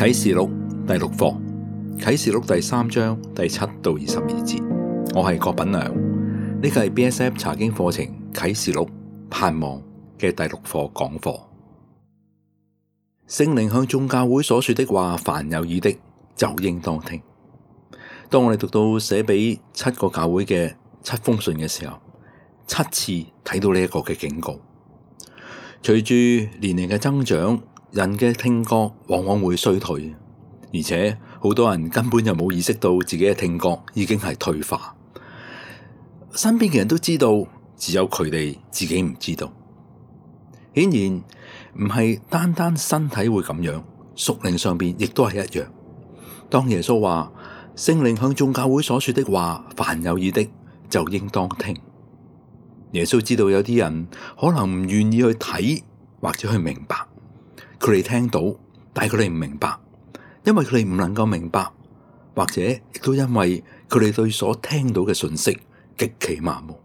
啟示錄第6課，啟示錄第3章第7到22節。我係郭品良，呢個係 BSF 查經課程啟示錄盼望嘅第6課講課。聖靈向眾教會所說的話，凡有耳的就應當聽。當我哋讀到寫俾7個教會嘅7封信嘅時候，7次睇到呢一個嘅警告。隨住年齡嘅增長，人嘅聽覺往往會衰退，而且好多人根本就冇意識到自己嘅聽覺已經係退化。身邊嘅人都知道，只有佢哋自己唔知道。顯然唔係單單身體會咁樣，屬靈上邊亦都係一樣。當耶穌話聖靈向眾教會所說的話，凡有耳的就應當聽。耶穌知道有啲人可能唔願意去睇或者去明白，佢哋聽到，但係佢哋唔明白，因為佢哋唔能夠明白，或者亦都因為佢哋對所聽到嘅信息極其麻木，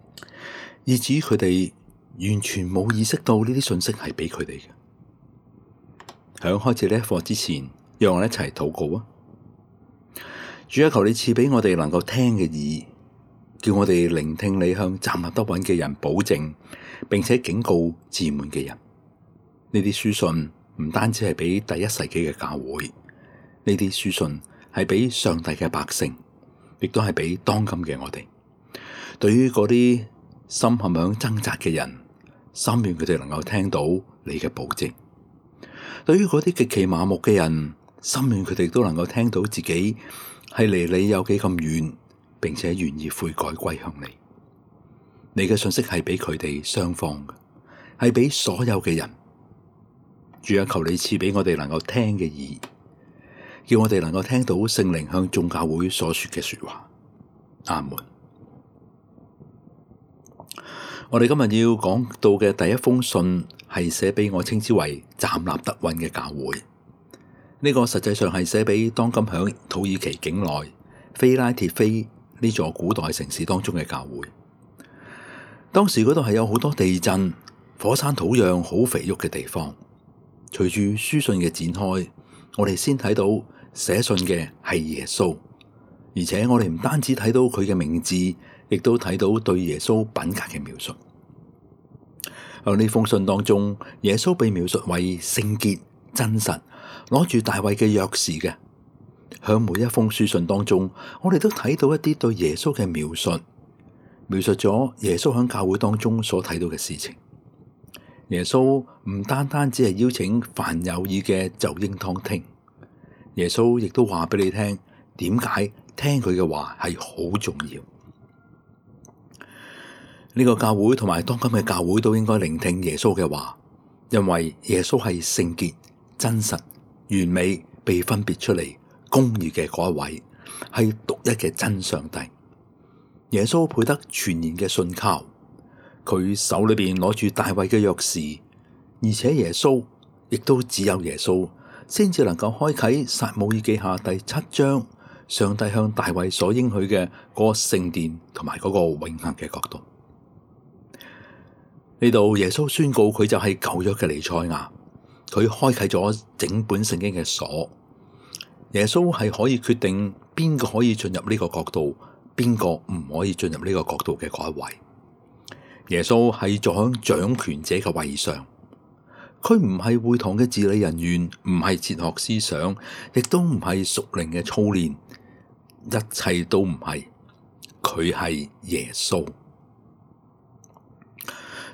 以至於佢哋完全冇意識到呢啲信息係俾佢哋嘅。響開始呢一課之前，讓我哋一齊禱告啊！主啊，求你賜俾我哋能夠聽嘅耳，叫我哋聆聽你向站立得穩嘅人保證，並且警告自滿嘅人。呢啲書信唔單止係俾第一世紀嘅教會，呢啲書信係俾上帝嘅百姓，亦都係俾當今嘅我哋。對於嗰啲心陷響掙扎嘅人，心願佢哋能夠聽到你嘅保證；對於嗰啲極其麻木嘅人，心願佢哋都能夠聽到自己係離你有幾咁遠，並且願意悔改歸向你。你嘅信息係俾佢哋雙方嘅，係俾所有嘅人。主啊，求你賜俾我哋能夠聽嘅耳，叫我哋能夠聽到聖靈向眾教會所說嘅說話。阿門。我哋今日要講到嘅第一封信係寫俾我稱之為站立得穩嘅教會。呢個實際上係寫俾當今響土耳其境內菲拉鐵菲呢座古代城市當中嘅教會。當時嗰度係有好多地震、火山土壤好肥沃嘅地方。隨住書信嘅展開，我哋先睇到寫信嘅係耶穌，而且我哋唔單止睇到佢嘅名字，亦都睇到對耶穌品格嘅描述。喺呢封信當中，耶穌被描述為聖潔、真實，攞住大衛嘅鑰匙嘅。喺每一封書信當中，我哋都睇到一啲對耶穌嘅描述，描述咗耶穌喺教會當中所睇到嘅事情。耶穌唔單單只係邀請凡有耳嘅就應當聽，耶穌亦都話俾你聽，點解聽佢嘅話係好重要。呢個教會同埋當今嘅教會都應該聆聽耶穌嘅話，因為耶穌係聖潔、真實、完美、被分別出嚟、公義嘅嗰一位，係獨一嘅真上帝。耶穌配得全然嘅信靠。佢手裏邊攞住大衛嘅鑰匙，而且耶穌亦都只有耶穌先至能夠開啟撒母耳記下第7章，上帝向大衛所應許嘅嗰個聖殿同埋嗰個永恆嘅國度。呢度耶穌宣告佢就係舊約嘅彌賽亞，佢開啟咗整本聖經嘅鎖。耶穌係可以決定邊個可以進入呢個國度，邊個唔可以進入呢個國度嘅嗰一位。耶穌係坐響掌權者嘅位上，佢唔係會堂嘅治理人員，唔係哲學思想，亦都唔係屬靈嘅操練，一切都唔係，佢係耶穌。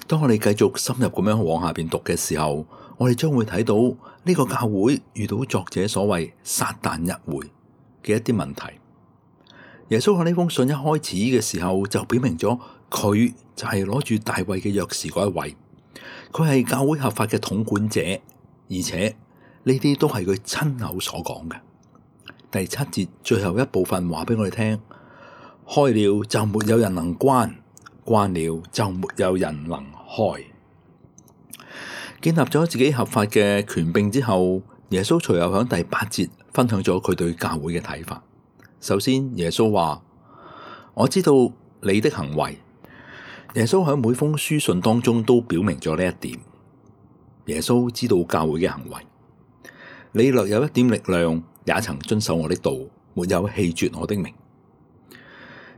當我哋繼續深入咁樣往下邊讀嘅時候，我哋將會睇到呢個教會遇到作者所謂撒但一會嘅一啲問題。耶穌喺呢封信一開始嘅時候就表明咗，佢就係攞住大衛嘅鑰匙嗰一位，佢係教會合法嘅統管者，而且呢啲都係佢親口所講嘅。第7節最後一部分話俾我哋聽，開了就沒有人能關，關了就沒有人能開。建立咗自己合法嘅權柄之後，耶穌隨後喺第8節分享咗佢對教會嘅睇法。首先，耶穌話：我知道你的行為。耶穌喺每封書信當中都表明咗呢一點。耶穌知道教會嘅行為。你略有一點力量，也曾遵守我的道，沒有棄絕我的名。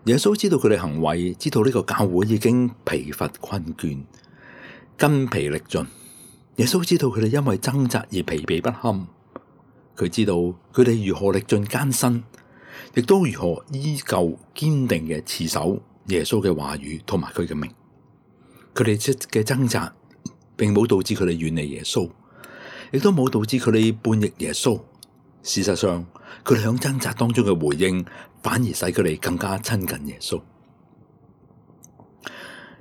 耶穌知道佢哋行為，知道呢個教會已經疲乏困倦，筋疲力盡。耶穌知道佢哋因為掙扎而疲憊不堪，佢知道佢哋如何歷盡艱辛，亦都如何依舊堅定嘅持守耶穌嘅話語同埋佢嘅名。佢哋嘅掙扎並冇導致佢哋遠離耶穌，亦都冇導致佢哋叛逆耶穌。事實上，佢哋響掙扎當中嘅回應，反而使佢哋更加親近耶穌。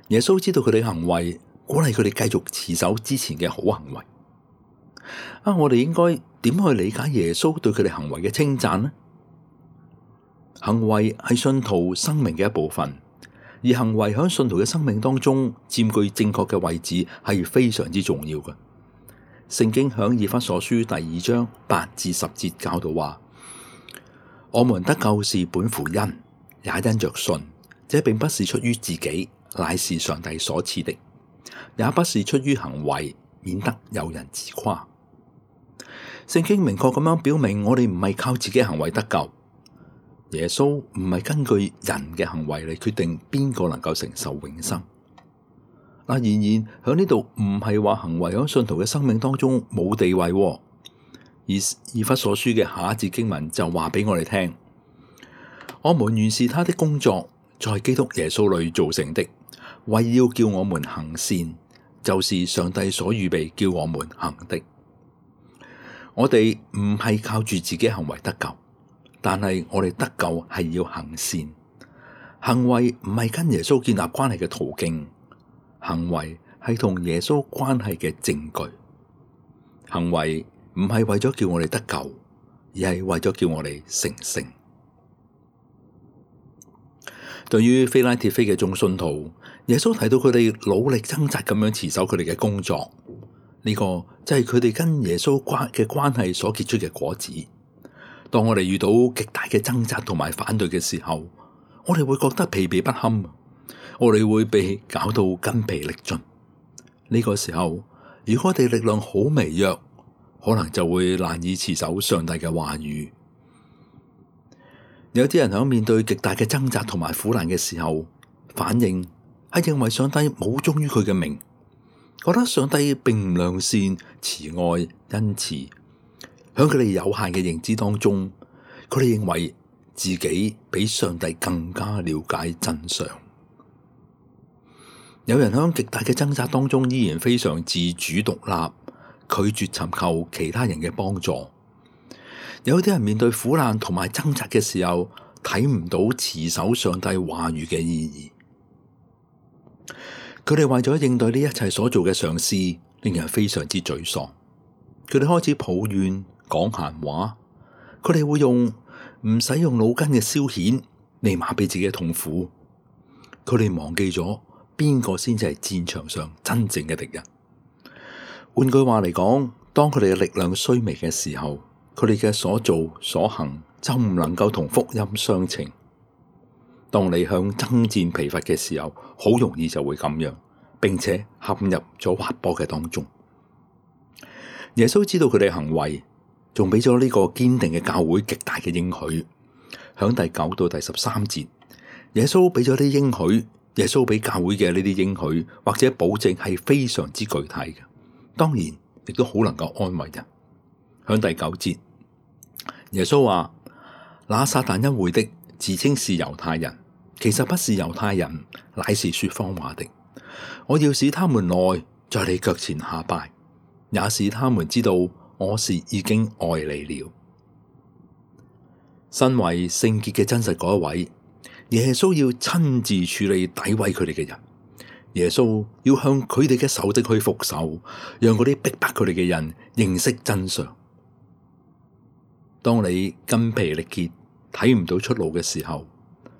耶穌知道佢哋嘅行為，鼓勵佢哋繼續持守之前嘅好行為。我哋應該點去理解耶穌對佢哋行為嘅稱讚呢？行為係信徒生命嘅一部分，而行為喺信徒嘅生命當中佔據正確嘅位置係非常之重要嘅。聖經響以弗所書第2章8至10節教導話：我們得救是本乎恩，也因着信。這並不是出於自己，乃是上帝所賜的；也不是出於行為，免得有人自誇。聖經明確咁樣表明，我哋唔係靠自己行為得救。耶穌唔係根據人嘅行為嚟決定邊個能夠承受永生。然而喺呢度唔係話行為喺信徒嘅生命當中冇地位，而以弗所書嘅下一節經文就話俾我哋聽：我們原是他的工作，在基督耶穌裏造成的，為要叫我們行善，就是上帝所預備叫我們行的。我哋唔係靠住自己行為得救，但係我哋得救係要行善。行為唔係跟耶穌建立關係嘅途徑，行為係同耶穌關係嘅證據。行為唔係為咗叫我哋得救，而係為咗叫我哋成聖。對於非拉鐵非嘅眾信徒，耶穌提到佢哋努力掙扎咁樣持守佢哋嘅工作，呢個就係佢哋跟耶穌嘅關係所結出嘅果子。當我哋遇到極大嘅掙扎同埋反對嘅時候，我哋會覺得疲憊不堪，我哋會被搞到筋疲力盡。呢個時候，如果我哋力量好微弱，可能就會難以持守上帝嘅話語。有啲人喺面對極大嘅掙扎同埋苦難嘅時候，反應係認為上帝冇忠於佢嘅名，覺得上帝並唔良善、慈愛、恩慈。喺佢哋有限嘅認知當中，佢哋認為自己比上帝更加了解真相。有人喺極大嘅掙扎當中依然非常自主獨立，拒絕尋求其他人嘅幫助。有啲人面對苦難同埋掙扎嘅時候，睇唔到持守上帝話語嘅意義。佢哋為咗應對呢一切所做嘅嘗試，令人非常之沮喪。佢哋開始抱怨、講閒話，佢哋會用唔使用腦筋嘅消遣嚟麻痹自己嘅痛苦。佢哋忘記咗邊個先至係戰場上真正嘅敵人。換句話嚟講，當佢哋嘅力量衰微嘅時候，佢哋嘅所做所行就唔能夠同福音相稱。當你向爭戰疲乏嘅時候，好容易就會咁樣，並且陷入咗滑坡嘅當中。耶穌知道佢哋行為，仲俾咗呢個堅定嘅教會極大嘅應許。響第9到第13節，耶穌俾咗啲應許，耶穌俾教會嘅呢啲應許或者保證係非常之具體嘅，當然亦都好能夠安慰人。響第9節，耶穌話：那撒但恩會的自稱是猶太人，其實不是猶太人，乃是說謊話的。我要使他們來在你腳前下拜，也使他們知道我是已經愛你了。身為聖潔嘅真實嗰一位，耶穌要親自處理詆毀佢哋嘅人。耶穌要向佢哋嘅仇敵去復仇，讓嗰啲逼迫佢哋嘅人認識真相。當你筋疲力竭，睇唔到出路嘅時候，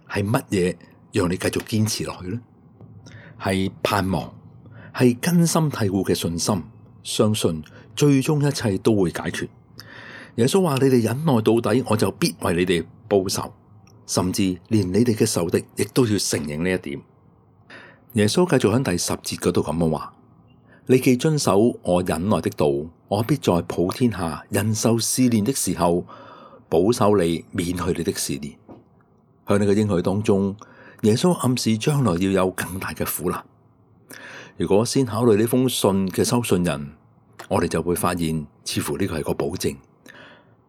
係乜嘢讓你繼續堅持落去呢？係盼望，係根深蒂固嘅信心，相信最終一切都會解決。耶穌話：你哋忍耐到底，我就必為你哋報仇，甚至連你哋嘅仇敵亦都要承認呢一點。耶穌繼續喺第10節嗰度咁樣話：你既遵守我忍耐的道，我必在普天下人受試煉的時候，保守你免去你的試煉。向你嘅應許當中，耶穌暗示將來要有更大嘅苦難。如果先考慮呢封信嘅收信人，我哋就會發現，似乎呢個係個保證，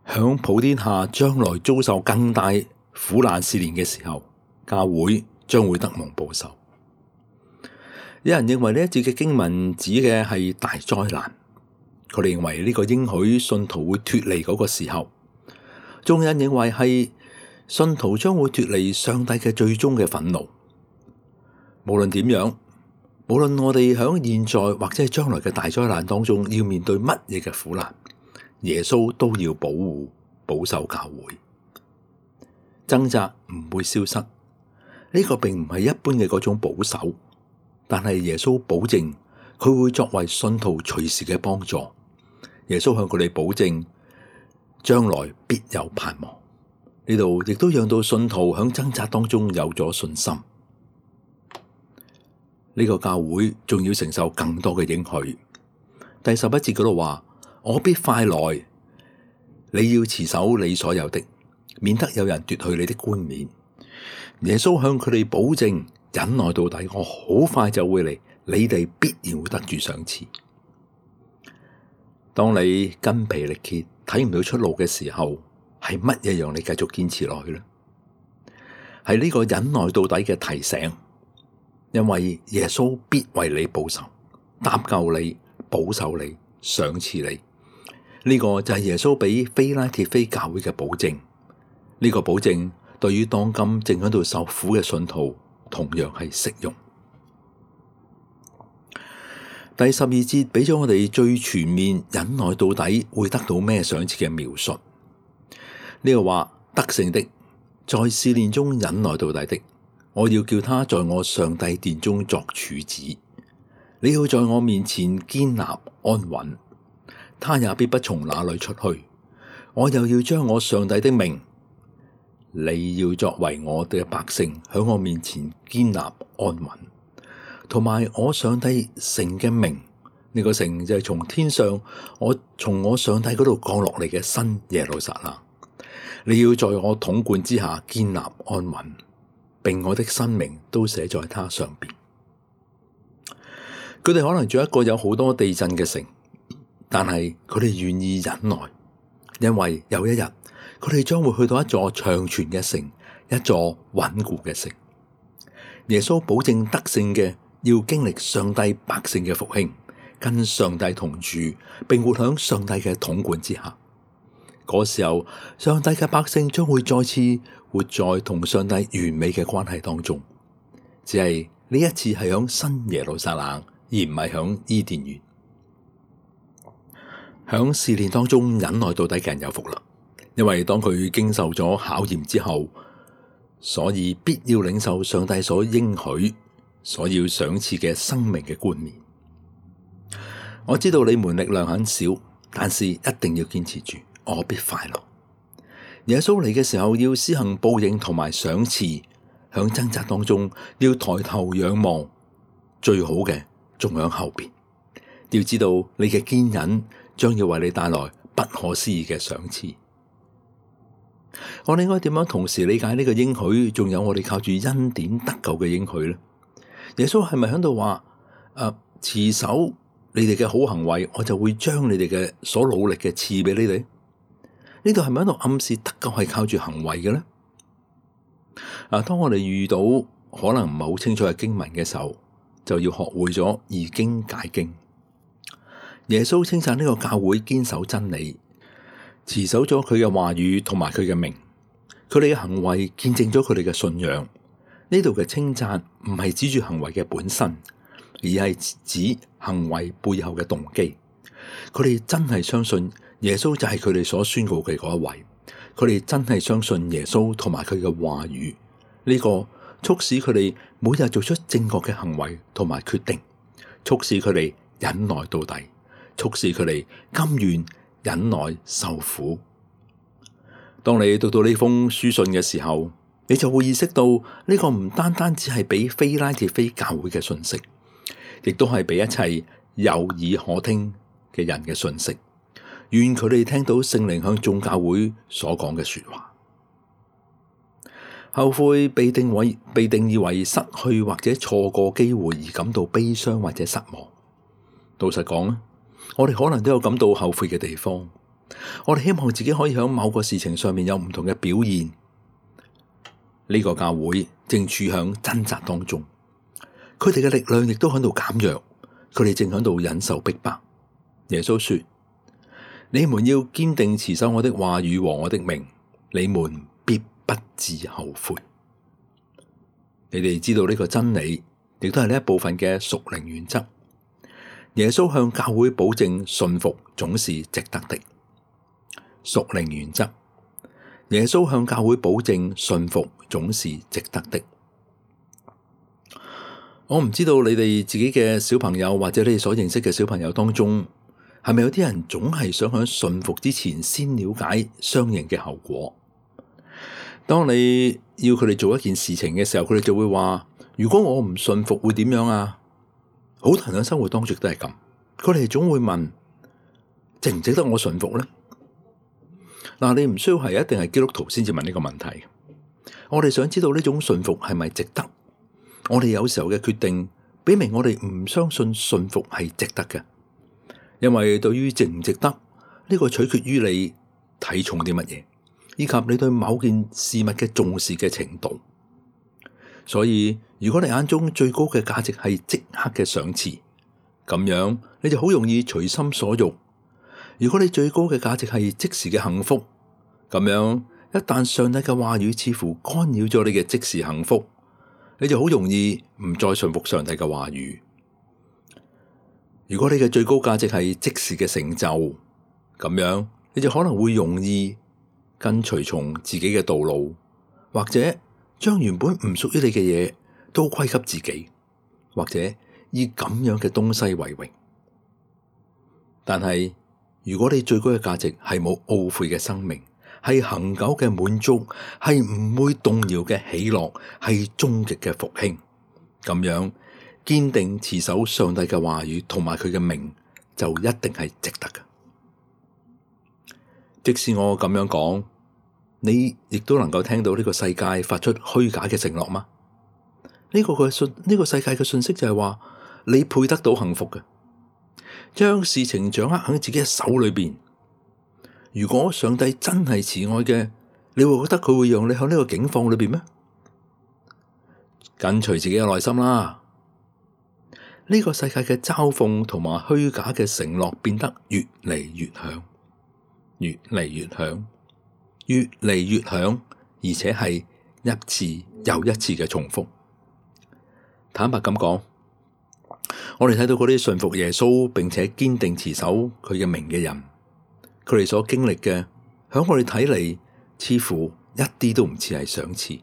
響普天下將來遭受更大苦難試煉嘅時候，教會將會得蒙保守。有人認為呢一節嘅經文指嘅係大災難，佢哋認為呢個應許信徒會脫離嗰個時候，仲有人認為係信徒將會脫離上帝嘅最終嘅憤怒。無論點樣，無論我哋響現在或者係將來嘅大災難當中要面對乜嘢嘅苦難，耶穌都要保護保守教會。掙扎唔會消失，呢個並唔係一般嘅嗰種保守，但係耶穌保證佢會作為信徒隨時嘅幫助。耶穌向佢哋保證將來必有盼望。呢度亦都讓到信徒響掙扎當中有咗信心。呢個教會仲要承受更多嘅應許。第11節嗰度話：我必快來，你要持守你所有的，免得有人奪去你的冠冕。耶穌向佢哋保證，忍耐到底，我好快就會嚟，你哋必然會得住賞賜。當你筋疲力竭，睇唔到出路嘅時候，係乜嘢讓你繼續堅持落去呢？係呢個忍耐到底嘅提醒，因為耶穌必為你報仇，搭救你，保守你，賞賜你。呢個就係耶穌俾非拉鐵非教會嘅保證。呢個保證對於當今正喺度受苦嘅信徒同樣係適用。第12節俾咗我哋最全面忍耐到底會得到咩賞賜嘅描述。呢個話，得勝的，在試煉中忍耐到底的，我要叫他在我上帝殿中作柱子。你要在我面前堅立安穩，他也必不從那裏出去。我又要將我上帝的名，你要作為我的百姓，喺我面前堅立安穩，同埋我上帝城嘅名。呢個城就係從天上，從我上帝嗰度降落嚟嘅新耶路撒冷。你要在我統管之下堅立安穩，並我的新名都寫在他上邊。佢哋可能住一個有好多地震嘅城，但係佢哋願意忍耐，因為有一日佢哋將會去到一座長存嘅城，一座穩固嘅城。耶穌保證得勝嘅要經歷上帝百姓嘅復興，跟上帝同住，並活響上帝嘅統管之下。嗰時候，上帝嘅百姓將會再次活在同上帝完美嘅關係當中。只係呢一次係響新耶路撒冷，而唔係響伊甸園。響試煉當中忍耐到底嘅人有福啦，因為當佢經受咗考驗之後，所以必要領受上帝所應許、所要賞賜嘅生命嘅冠冕。我知道你們力量很少，但是一定要堅持住。我必快樂。耶穌嚟嘅時候要施行報應同埋賞賜，響掙扎當中要抬頭仰望，最好嘅仲響後邊。要知道你嘅堅忍將要為你帶來不可思議嘅賞賜。我哋應該點樣同時理解呢個應許，仲有我哋靠住恩典得救嘅應許呢？耶穌係咪喺度話持守你哋嘅好行為，我就會將你哋嘅所努力嘅賜俾你哋？呢度係咪喺度暗示得救係靠住行為嘅呢？當我哋遇到可能唔係好清楚嘅經文嘅時候，就要學會咗易經解經。耶穌稱讚呢個教會堅守真理，持守咗佢嘅話語同埋佢嘅名，佢哋嘅行為見證咗佢哋嘅信仰。呢度嘅稱讚唔係指住行為嘅本身，而係指行為背後嘅動機。佢哋真係相信耶穌就係佢哋所宣告嘅嗰一位，佢哋真係相信耶穌同埋佢嘅話語。呢個促使佢哋每日做出正確嘅行為同埋決定，促使佢哋忍耐到底，促使佢哋甘願忍耐受苦。當你讀到呢封書信嘅時候，你就會意識到呢個唔單單只係俾非拉鐵非教會嘅信息，亦都係俾一切有耳可聽嘅人嘅訊息，願佢哋聽到聖靈向眾教會所講嘅說話。後悔被定義為失去或者錯過機會而感到悲傷或者失望。老實講，我哋可能都有感到後悔嘅地方。我哋希望自己可以喺某個事情上面有唔同嘅表現。呢個教會正處響掙扎當中，佢哋嘅力量亦都喺度減弱，佢哋正喺度忍受逼迫。耶穌說：你們要堅定持守我的話語和我的名，你們必不致後悔。你哋知道呢個真理，亦都係呢一部分嘅屬靈原則。耶穌向教會保證信服總是值得的。屬靈原則，耶穌向教會保證信服總是值得的。我唔知道你哋自己嘅小朋友或者你哋所認識嘅小朋友當中，係咪有啲人總係想喺信服之前先了解相應嘅後果？當你要佢哋做一件事情嘅時候，佢哋就會話：如果我唔信服會點樣啊？好多人喺生活當中都係咁，佢哋總會問：值唔值得我信服呢？嗱，你唔需要係一定係基督徒先至問呢個問題。我哋想知道呢種信服係咪值得？我哋有時候嘅決定，表明我哋唔相信信服係值得嘅。因為對於值唔值得，呢個取決於你睇重啲乜嘢，以及你對某件事物嘅重視嘅程度。所以如果你眼中最高嘅價值係即刻嘅賞賜，咁樣你就好容易隨心所欲。如果你最高嘅價值係即時嘅幸福，咁樣一旦上帝嘅話語似乎干擾咗你嘅即時幸福，你就好容易唔再順服上帝嘅話語。如果你嘅最高價值係即時嘅成就，咁樣你就可能會容易跟隨從自己嘅道路，或者將原本唔屬於你嘅嘢都歸給自己，或者以咁樣嘅東西為榮。但係如果你最高嘅價值係冇懊悔嘅生命，係恆久嘅滿足，係唔會動搖嘅喜樂，係終極嘅復興，咁樣堅定持守上帝嘅話語同埋佢嘅名，就一定係值得嘅。即使我咁樣講，你亦都能夠聽到呢個世界發出虛假嘅承諾嗎？呢個世界嘅信息就係話，你配得到幸福嘅，將事情掌握喺自己嘅手裏邊。如果上帝真係慈愛嘅，你會覺得佢會讓你喺呢個境況裏邊咩？跟隨自己嘅內心啦。呢個世界嘅嘲諷同埋虛假嘅承諾變得越嚟越響，越嚟越響，越嚟越響，而且係一次又一次嘅重複。坦白咁講，我哋睇到嗰啲信服耶穌並且堅定持守佢嘅名嘅人，佢哋所經歷嘅，響我哋睇嚟，似乎一啲都唔似係賞賜，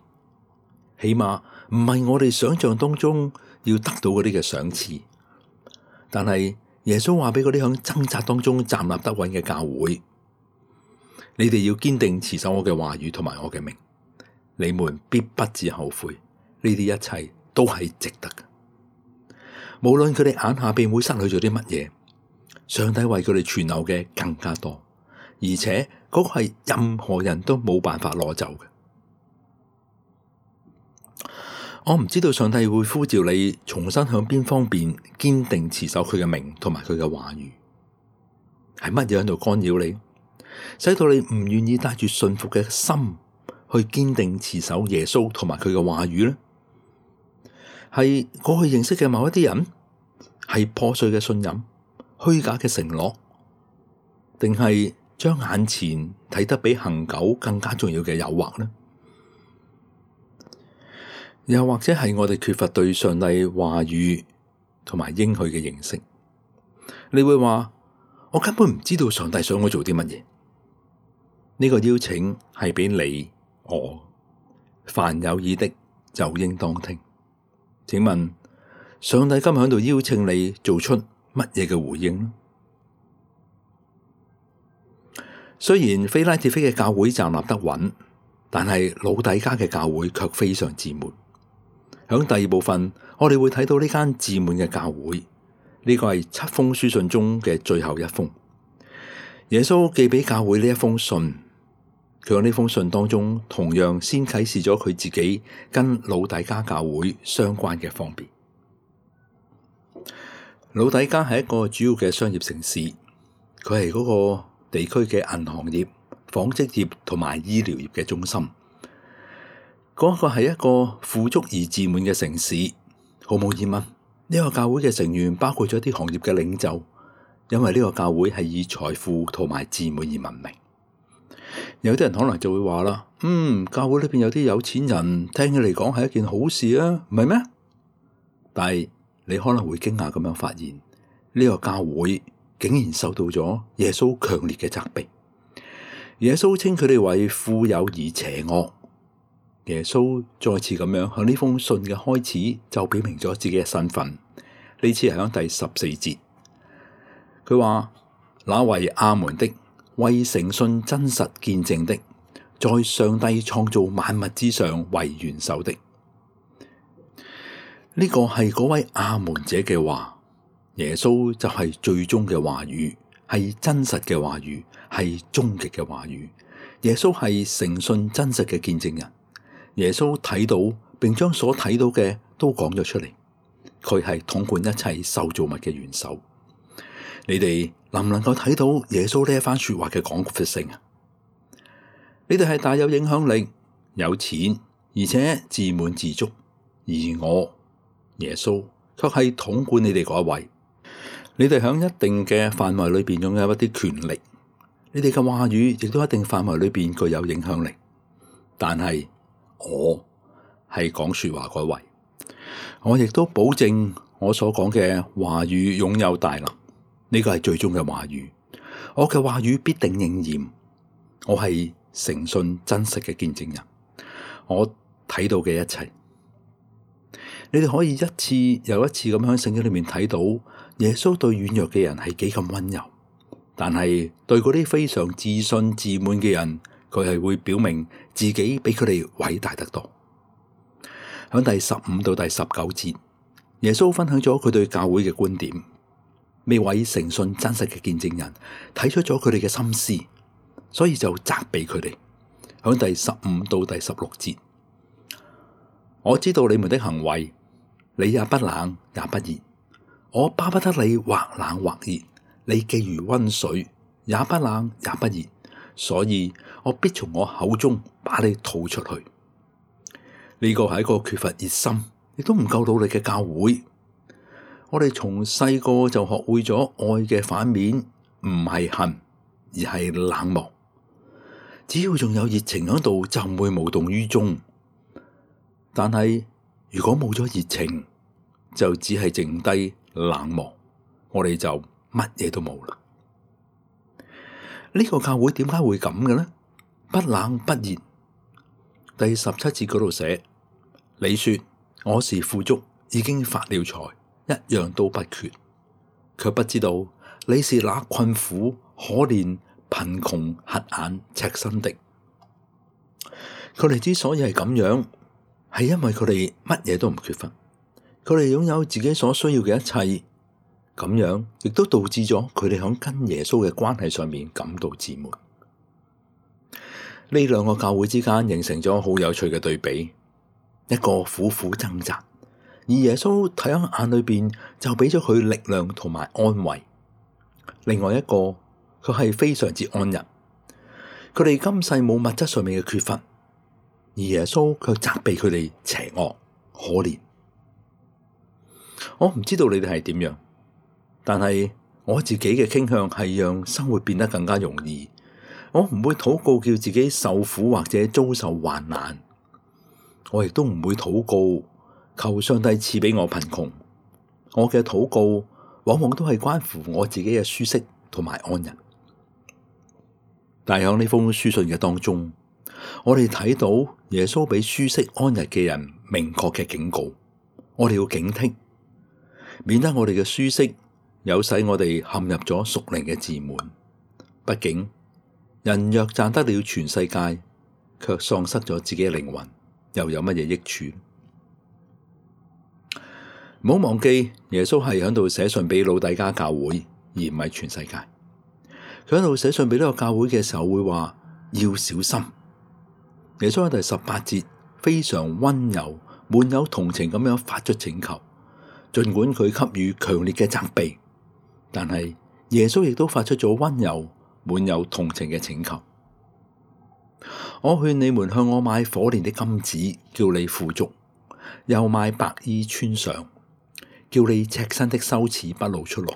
起碼唔係我哋想象當中要得到嗰啲嘅賞賜。但係耶穌話俾嗰啲響掙扎當中站立得穩嘅教會，你哋要堅定持守我嘅話語同埋我嘅名，你們必不致後悔。呢啲一切都係值得嘅。無論佢哋眼下邊會失去咗啲乜嘢，上帝為佢哋存留嘅更加多，而且嗰個係任何人都冇辦法攞走嘅。我唔知道上帝會呼召你重新向邊方面堅定持守佢嘅名同埋佢嘅話語，係乜嘢喺度干擾你，使到你唔願意帶住信服嘅心去堅定持守耶穌同埋佢嘅話語呢？係過去認識嘅某一啲人，係破碎嘅信任、虛假嘅承諾，定係將眼前睇得比恆久更加重要嘅誘惑呢？又或者係我哋缺乏對上帝話語同埋應許嘅認識？你會話，我根本唔知道上帝想我做啲乜嘢。呢個邀請係俾你我，凡有耳的就應當聽。請問上帝今日喺度邀請你做出乜嘢嘅回應呢？雖然非拉鐵非嘅教會站立得穩，但係老底嘉嘅教會卻非常自滿。響第二部分，我哋會睇到呢間自滿嘅教會呢個係7封書信中嘅最後一封。耶穌寄俾教會呢一封信，佢喺呢封信當中同樣先啟示咗佢自己跟老底嘉教會相關嘅方面。老底嘉係一個主要嘅商業城市，佢係嗰個地區嘅銀行業、紡織業同埋醫療業嘅中心。嗰個係一個富足而自滿嘅城市，毫無疑問，呢個教會嘅成員包括咗啲行業嘅領袖，因為呢個教會係以財富同埋自滿而聞名。有啲人可能就會話啦，教會裏邊有啲有錢人，聽起嚟講係一件好事啊，唔係咩？但係你可能會驚訝咁樣發現，呢個教會竟然受到咗耶穌強烈嘅責備。耶穌稱佢哋為富有而邪惡。耶穌再次咁樣向呢封信嘅開始就表明咗自己嘅身份。呢次係喺第14節，佢話：那為阿門的，為誠信真實見證的，在上帝創造萬物之上為元首的。呢個係嗰位阿門者嘅話，耶穌就係最終嘅話語，係真實嘅話語，係終極嘅話語。耶穌係誠信真實嘅見證人。耶穌睇到並將所睇到嘅都講咗出嚟，佢係統管一切受造物嘅元首。你哋能唔能夠睇到耶穌呢一番說話嘅廣闊性啊？你哋係大有影響力、有錢，而且自滿自足，而我耶穌卻係統管你哋嗰一位。你哋喺一定嘅範圍裏邊擁有一啲權力，你哋嘅話語亦都一定範圍裏邊具有影響力，但係我係講說話嗰位，我亦都保證我所講嘅話語擁有大能，呢個係最終嘅話語。我嘅話語必定應驗。我係誠信真實嘅見證人，我睇到嘅一切，你哋可以一次又一次咁喺聖經裏面睇到耶穌對軟弱嘅人係幾咁溫柔，但係對嗰啲非常自信自滿嘅人，佢係會表明自己比佢哋偉大得多。喺第15到第19節，耶穌分享咗佢對教會嘅觀點。呢位誠信真實嘅見證人睇出咗佢哋嘅心思，所以就責備佢哋。喺第15到第16節，我知道你們的行為，你也不冷也不熱，我巴不得你或冷或熱，你既如溫水，也不冷也不熱，所以我必從我口中把你吐出去。呢個係一個缺乏熱心，亦都唔夠努力嘅教會。我哋從細個就學會咗愛嘅反面，唔係恨，而係冷漠。只要仲有熱情喺度，就唔會無動於衷。但係如果冇咗熱情，就只係剩低冷漠，我哋就乜嘢都冇啦。呢個教會點解會咁嘅呢？不冷不熱。第17節嗰度寫，你說我是富足，已經發了財，一樣都不缺，卻不知道你是那困苦、可憐、貧窮、瞎眼、赤身的。佢哋之所以係咁樣，係因為佢哋乜嘢都唔缺乏，佢哋擁有自己所需要嘅一切，咁樣亦都導致咗佢哋喺跟耶穌嘅關係上面感到自滿。呢兩個教會之間形成咗好有趣嘅對比，一個苦苦掙扎，而耶穌睇喺眼裏邊就俾咗佢力量同埋安慰；另外一個佢係非常之安逸，佢哋今世冇物質上面嘅缺乏，而耶穌卻責備佢哋邪惡可憐。我唔知道你哋係點樣，但係我自己嘅傾向係讓生活變得更加容易。我唔會禱告叫自己受苦或者遭受患難，我亦都唔會禱告求上帝賜俾我貧窮。我嘅禱告往往都係關乎我自己嘅舒適同埋安逸。但係喺呢封書信嘅當中，我哋睇到耶穌俾舒適安逸嘅人明確嘅警告，我哋要警惕，免得我哋嘅舒適有使我哋陷入咗屬靈嘅自滿。畢竟人若賺得了全世界，卻喪失咗自己嘅靈魂，又有乜嘢益處？唔好忘記，耶穌係喺度寫信俾老底嘉教會，而唔係全世界。佢喺度寫信俾呢個教會嘅時候會話要小心。耶穌喺第18節非常溫柔、滿有同情咁樣發出請求，儘管佢給予強烈嘅責備，但係耶穌亦都發出咗溫柔、滿有同情嘅請求。我勸你們向我買火煉的金子，叫你富足；又買白衣穿上，叫你赤身的羞恥不露出來；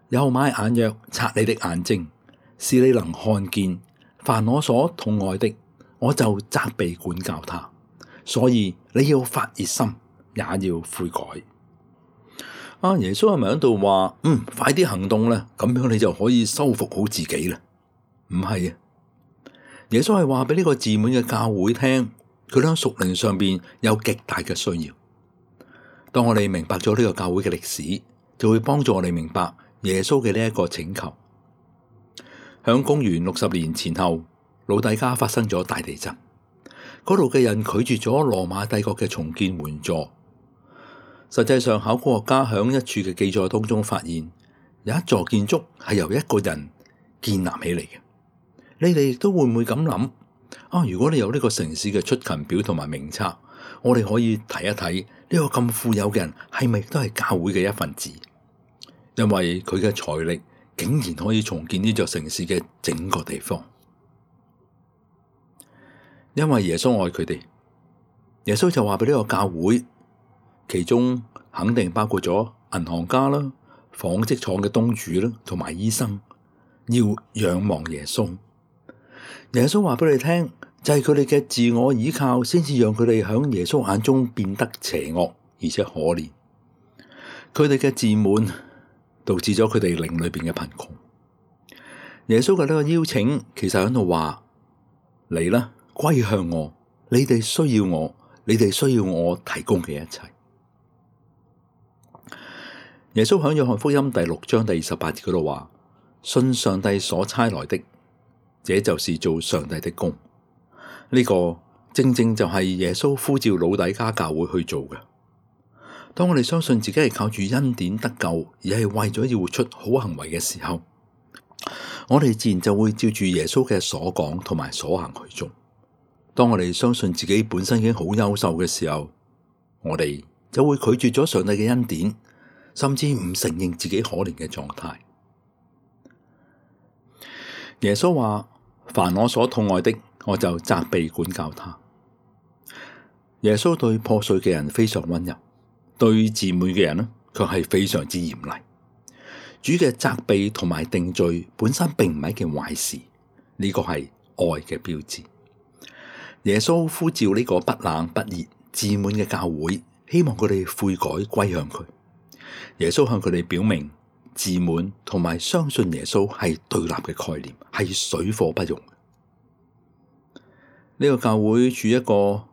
又買眼藥擦你的眼睛，使你能看見。凡我所痛愛的，我就責備管教他。所以你要發熱心，也要悔改。耶穌係咪喺度話快啲行動啦，咁樣你就可以修復好自己啦？唔係啊，耶穌係話俾呢個自滿嘅教會聽，佢喺屬靈上邊有極大嘅需要。當我哋明白咗呢個教會嘅歷史，就會幫助我哋明白耶穌嘅呢一個請求。響公元60年前後，老底嘉發生咗大地震，嗰度嘅人拒絕咗羅馬帝國嘅重建援助。實際上，考古學家響一處嘅記載當中發現，有一座建築係由一個人建立起嚟嘅。你哋亦都會唔會咁諗？如果你有呢個城市嘅出勤表同埋名冊，我哋可以睇一睇呢個咁富有嘅人係咪都係教會嘅一份子？因為佢嘅財力竟然可以重建呢座城市嘅整個地方。因為耶穌愛佢哋，耶穌就話俾呢個教會，其中肯定包括咗銀行家啦、紡織廠嘅東主啦，同埋醫生，要仰望耶穌。耶穌話俾你聽，就係佢哋嘅自我倚靠，先至讓佢哋響耶穌眼中變得邪惡而且可憐。佢哋嘅自滿導致咗佢哋靈裏邊嘅貧窮。耶穌嘅呢個邀請，其實喺度話：嚟啦，歸向我，你哋需要我，你哋需要我提供嘅一切。耶穌喺約翰福音第6章第28節嗰度話：信上帝所差來的，這就是做上帝的工。呢個正正就係耶穌呼召老底嘉教會去做嘅。當我哋相信自己係靠住恩典得救，而係為咗要活出好行為嘅時候，我哋自然就會照住耶穌嘅所講同埋所行去做。當我哋相信自己本身已經好優秀嘅時候，我哋就會拒絕咗上帝嘅恩典，甚至唔承認自己可憐嘅狀態。耶穌話：凡我所痛愛的，我就責備管教他。耶穌對破碎嘅人非常溫柔，對自滿嘅人呢，卻係非常之嚴厲。主嘅責備同埋定罪本身並唔係一件壞事，呢個係愛嘅標誌。耶穌呼召呢個不冷不熱、自滿嘅教會，希望佢哋悔改歸向佢。耶穌向佢哋表明，自滿同埋相信耶穌係對立嘅概念，係水火不容。呢個教會處於一個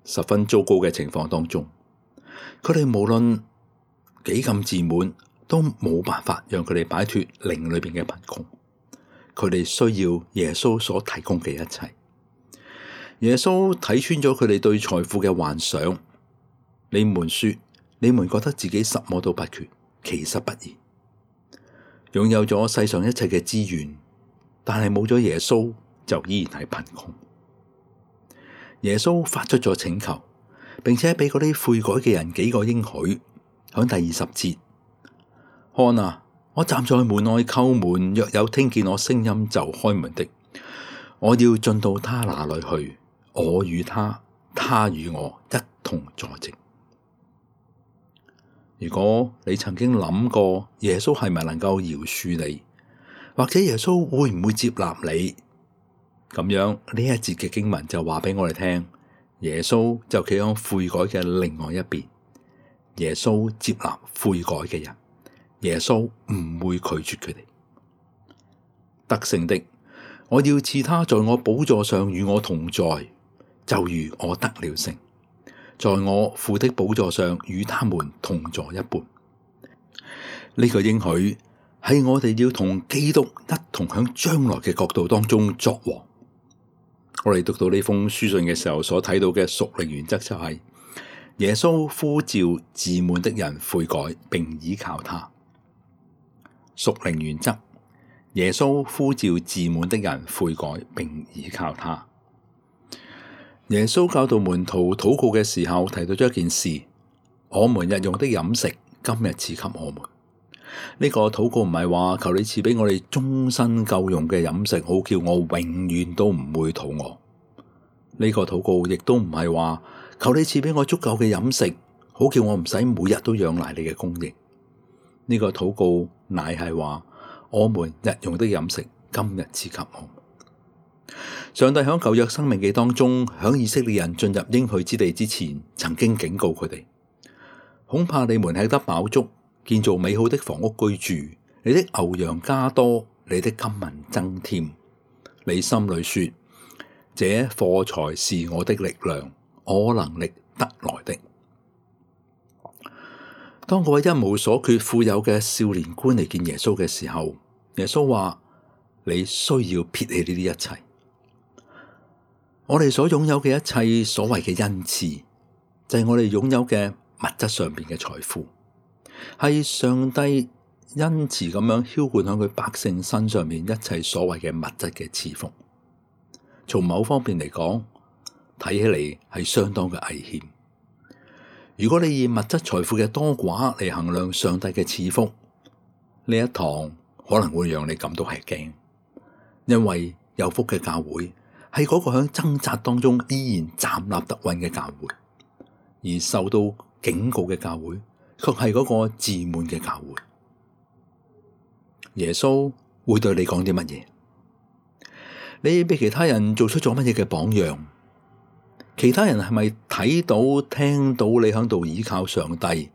十分糟糕嘅情況當中，佢哋無論幾咁自滿，都冇辦法讓佢哋擺脫靈裏邊嘅貧窮。佢哋需要耶穌所提供嘅一切。耶穌睇穿咗佢哋對財富嘅幻想。你們說，你們覺得自己什麼都不缺，其實不然。擁有咗世上一切嘅資源，但係冇咗耶穌，就依然係貧窮。耶穌發出咗請求，並且俾嗰啲悔改嘅人幾個應許。響第20節，看啊，我站在門外叩門，若有聽見我聲音就開門的，我要進到他那裏去，我與他，他與我一同坐席。如果你曾經諗過耶穌係咪能夠饒恕你，或者耶穌會唔會接納你，咁樣呢一節嘅經文就話俾我哋聽，耶穌就企喺悔改嘅另外一邊。耶穌接納悔改嘅人，耶穌唔會拒絕佢哋。得勝的，我要賜他在我寶座上與我同在，就如我得了勝，在我父的寶座上與他們同坐一般。呢個應許係我哋要同基督一同響將來嘅國度當中作王。我哋讀到呢封書信嘅時候所睇到嘅屬靈原則就係，耶穌呼召自滿的人悔改並倚靠他。屬靈原則：耶穌呼召自滿的人悔改並倚靠他。耶穌教導門徒禱告嘅時候提到咗一件事：我們日用的飲食，今日賜給我們。呢個禱告唔係話求你賜俾我哋終身夠用嘅飲食，好叫我永遠都唔會肚餓。呢個禱告亦都唔係話求你賜俾我足夠嘅飲食，好叫我唔使每日都仰賴你嘅供應。呢個禱告乃係話我們日用的飲食，今日賜給我們。上帝響舊約申命記當中，響以色列人進入應許之地之前，曾經警告佢哋：恐怕你們吃得飽足，建造美好的房屋居住，你的牛羊加多，你的金銀增添。你心裏說：這貨財是我的力量，我能力得來的。當嗰位一無所缺、富有嘅少年官嚟見耶穌嘅時候，耶穌話：你需要撇棄呢啲一切。我哋所擁有嘅一切所謂嘅恩賜，就係我哋擁有嘅物質上邊嘅財富，係上帝恩慈咁樣澆灌喺佢百姓身上面一切所謂嘅物質嘅賜福。從某方面嚟講，睇起嚟係相當嘅危險。如果你以物質財富嘅多寡嚟衡量上帝嘅賜福，呢一堂可能會讓你感到吃驚，因為有福嘅教會係嗰個響掙扎當中依然站立得穩嘅教會，而受到警告嘅教會卻係嗰個自滿嘅教會。耶穌會對你講啲乜嘢？你俾其他人做出咗乜嘢嘅榜樣？其他人係咪睇到聽到你喺度倚靠上帝，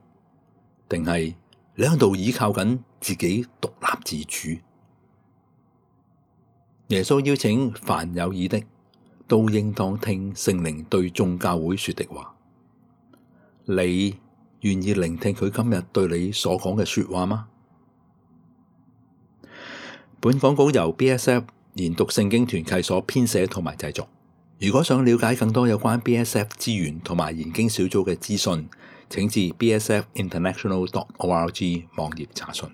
定係你喺度倚靠緊自己獨立自主？耶穌邀請凡有耳的都應當聽聖靈對眾教會說的話。你願意聆聽佢今日對你所講嘅說話嗎？本講稿由 BSF 研讀聖經團契所編寫同埋製作。如果想了解更多有關 BSF 資源同埋研經小組嘅資訊，請至 bsfinternational.org 網頁查詢。